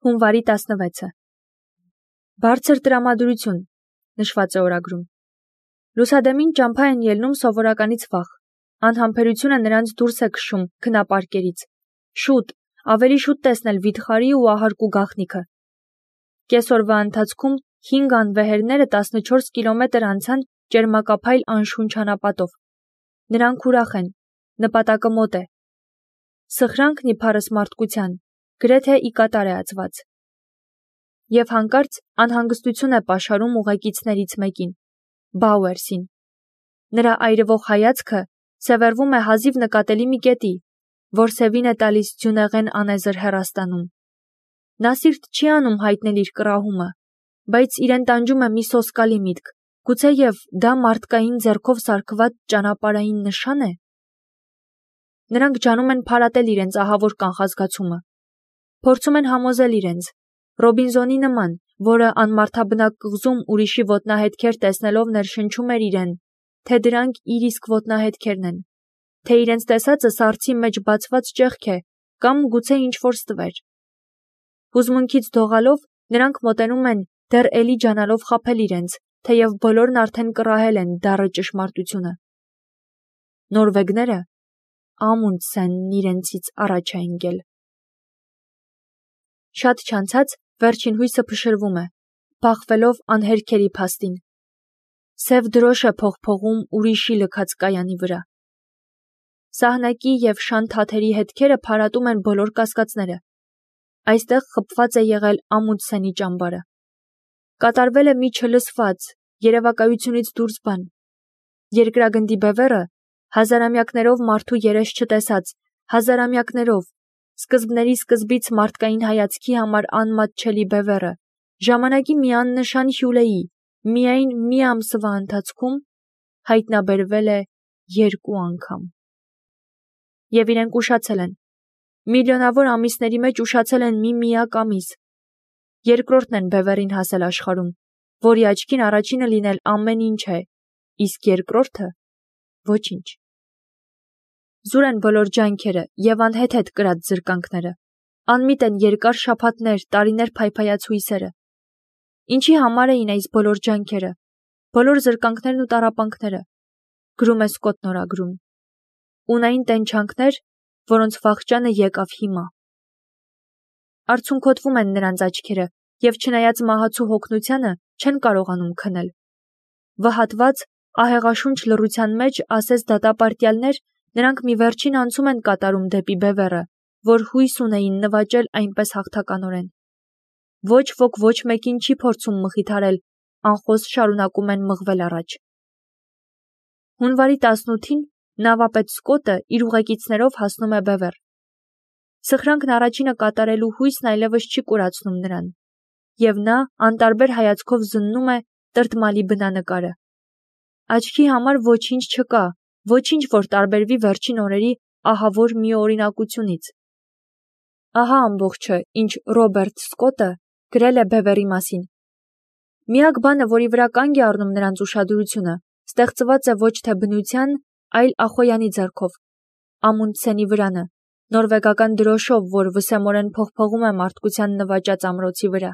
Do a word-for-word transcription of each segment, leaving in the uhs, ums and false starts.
Հունվարի տասնվեցը Բարձր տրամադրություն, նշված է օրագրում։ Լուսադեմին ճամփա են ելնում սովորականից վաղ։ Անհամբերությունը նրանց դուրս է քշում քնապարկերից։ Շուտ, ավելի շուտ տեսնել վիթխարի ու ահարկու գաղտնիքը։ Կեսօրվա ընթացքում հինգ անվեհերները տասնչորս կիլոմետր անցան ճերմակափայլ անշուն ճանապատով։ Նրանք ուրախ են, նպատակը մոտ է։ Սխրանքն իբարս մարդկության, գրեթե ի կատար է ածված։ Եվ հանկարծ անհանգստություն է պաշարում ուղեկիցներից մեկին, Բաուերսին։ Նրա այրվող հայացքը սևեռվում է հազիվ նկատելի մի կետի, որ սևին է տալիս ձյունեղեն անեզր հեռաստանում։ Նա սիրտ չի անում հայտնել իր կռահումը, բայց իրեն տանջում է մի սոսկալի միտք, գուցեև դա մարդկային ձեռքով սարքված ճանապարհային նշա՞ն է։ Նրանք ջանում են փարատել իրենց ահավոր կանխազգացումը։ Փորձում են համոզել իրենց, Ռոբինզոնի նման, որը անմարդաբնակ կղզում ուրիշի ոտնահետքեր տեսնելով ներշնչում էր իրեն, թե դրանք իր իսկ ոտնահետքերն են, թե իրենց տեսածը սառցի մեջ բացված ճեղք է, կամ գուցե ինչ-որ ստվեր։ Հուզմունքից դողալով նրանք մոտենում են, դեռ էլի ջանալով խաբել իրենց, թեև բոլորն արդեն կռահել են դառը ճշմարտությունը։ Նորվեգները Ամունդսենն իրենցից առաջ է ընկել։ Շատ չանցած վերջին հույսը փշրվում է, բախվելով անհերքերի փաստին։ Սև դրոշ է փողփողում ուրիշի լքած կայանի վրա։ Սահնակի և շան թաթերի հետքերը փարատում են բոլոր կասկածները։ Այստեղ խփված է եղել Ամունդսենի ճամբարը։ Կատարվել է մի չլսված, երևակայությունից դուրս բան։ Երկրագնդի բևեռը, հազարամյակներով մարդու երես չտեսած, հազարամյակներով, սկզբների սկզբից մարդկային հայացքի համար անմատչելի բևեռը, ժամանակի մի աննշան հյուլեի, միայն մի ամսվա ընթացքում հայտնաբերվել է երկու անգամ։ Եվ իրենք ուշացել են։ Միլիոնավոր ամիսների մեջ ուշացել են մի միակ ամիս։ Երկրորդն են բևեռին հասել աշխարհում, որի աչքին առաջինը լինել ամեն ինչ է, իսկ երկրորդը ոչինչ։ Զուր են բոլոր ջանքերը և անհեթեթ կրած զրկանքները։ Անմիտ են երկար շաբաթներ, տարիներ փայփայած հույսերը։ Ինչի համար էին այս բոլոր ջանքերը, բոլոր զրկանքներն ու տառապանքները, գրում է Սկոթն օրագրում։ Ունային տենչանքներ, որոնց վախճանը եկավ հիմա։ Արցունքոտվում են նրանց աչքերը, և չնայած մահացու հոգնությանը, չեն կարողանում քնել։ Վհատված, ահեղաշունչ լռության մեջ, ասես դատապարտյալներ, նրանք մի վերջին անցում են կատարում դեպի բևեռը, որ հույս ունեին նվաճել այնպես հաղթականորեն։ Ոչ ոք ոչ մեկին չի փորձում մխիթարել, անխոս շարունակում են մղվել առաջ։ Հունվարի տասնութին նավապետ Սկոտը իր ուղեկիցներով հասնում է բևեռ։ Սխրանքն առաջինը կատարելու հույսն այլևս չի կուրացնում նրան, և նա անտարբեր հայացքով զննում է տրտմալի բնանկարը։ Աչքի համար ոչինչ չկա, ոչինչ, որ տարբերվի վերջին օրերի ահավոր միօրինակությունից։ Ահա ամբողջը, ինչ Ռոբերտ Սկոտը գրել է բևեռի մասին։ Միակ բանը, որի վրա կանգ է առնում նրանց ուշադրությունը, ստեղծված է ոչ թե բնության, այլ Ախոյանի ձեռքով, Ամունդսենի վրանը, նորվեգական դրոշով, որ վսեմորեն փողփողում է մարդկության նվաճած ամրոցի վրա։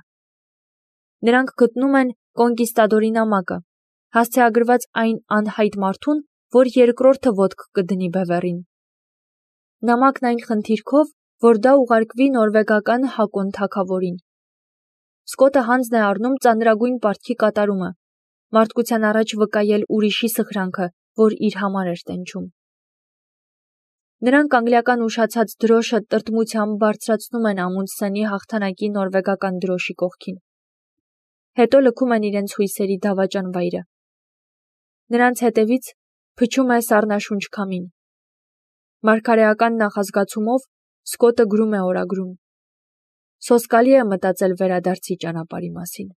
Նրանք գտնում են կոնկիստադորի նամակը, հասցեագրված այն անհայտ մարդուն, որ երկրորդը ոտք կդնի բևեռին։ Նամակն այն խնդիրքով, որ դա ուղարկվի նորվեգական Հակոն թագավորին։ Սկոտը հանձն է առնում ծանրագույն պարտքի կատարումը, մարդկության առաջ վկայել ուրիշի սխրանքը, որ իր համար էր տենչում։ Նրանք անգլիական ուշացած դրոշը տրտմությամբ բարձրացնում են Ամունդսենի հաղթանակի նորվեգական դրոշի կողքին։ Հետո լքում են իրենց հույսերի դավաճան վայրը։ Նրանց հետևից փչում է սառնաշունչ քամին։ Մարգարեական նախազգացումով Սկոտը գրում է օրագրում. Սոսկալի է մտածել վերադարձի ճանապարհի մասին։